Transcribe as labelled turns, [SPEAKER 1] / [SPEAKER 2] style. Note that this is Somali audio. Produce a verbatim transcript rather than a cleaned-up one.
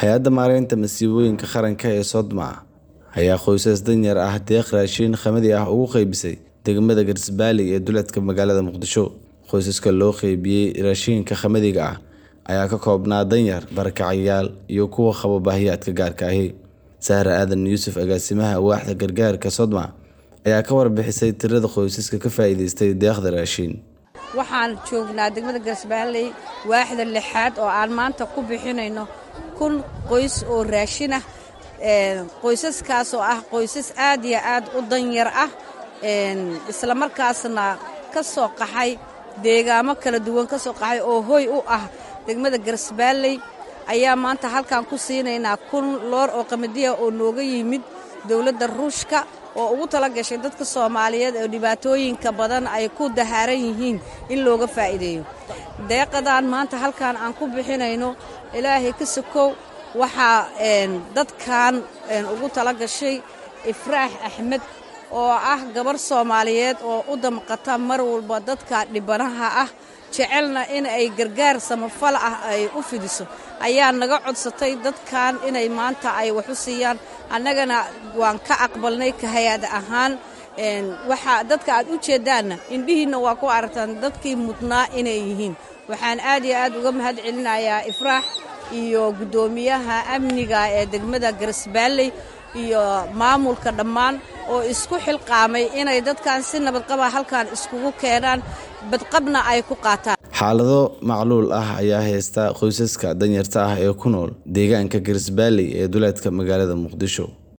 [SPEAKER 1] Hay'adda Maareynta Masiibooyinka Qaranka ee Sodma ayaa qoysas danyar ah deeq raashin qamadi ah ugu qaybisay degmada Garisbaali ee duleedka magaalada Muqdisho. Qoysaska loo qaybiyay raashinka qamadiga ah ayaa ka koobnaa danyar, barakacayaal iyo kuwa qaba baahiyaha gaarka ah. Sahra Aadan Yuusuf, agaasimaha waaxda gargaarka Sodma, ayaa ka warbixisay tirada qoysaska ka faa'iidaystay deeqda raashin.
[SPEAKER 2] Waxaan joognaa degmada Garisbaalley, waaxda lixaad, oo aan maanta ku bixinayno kun qoys oo raashin ah. Qoysaskaas oo ah qoysas aad iyo aad u danyar ah, islamarkaasna ka soo qaxay deegaamo kala duwan, ka soo qaxay oo hoy u ah degmada Garisbaalley, ayaa maanta halkan ku siinaynaa kun loor oo qamadiya oo nooga yimid dowladda Ruushka, oo ugu tala gashay dadka Soomaaliyeed oo dhibaatooyinka badan ay ku dahaaran yihiin in looga faa'iideeyo. Deeqadan maanta halkan aan ku bixinayno, Ilaahay ka sokow, waxaa dadkan ugu tala gashay Ifraax Axmed, oo ah gabar Soomaaliyeed oo u damqata mar walba dadka dhibanaha ah, jecelna in ay gargaar samafal ah ay u fidiso, ayaa naga codsatay dadkan inay maanta ay wax u siiyaan. Annagana waan ka aqbalnay ka hay-ad ahaan. Waxaa dadka aad u jeeddaanna indhihiinna waa ku aragtaan dadkii mudnaa inay yihiin. Waxaan aad iyo aad uga mahad celinayaa Ifraax iyo guddoomiyaha amniga ee degmada Garisbaalley iyo maamulka dhammaan oo isku xilqaamay inay dadkan si nabadqaba halkan iskugu keenaan, badqabna ay ku qaataan.
[SPEAKER 1] Xaalado macluul ah ayaa haysta qoysaska danyarta ah ee ku nool deegaanka Garisbaali ee duleedka magaalada Muqdisho.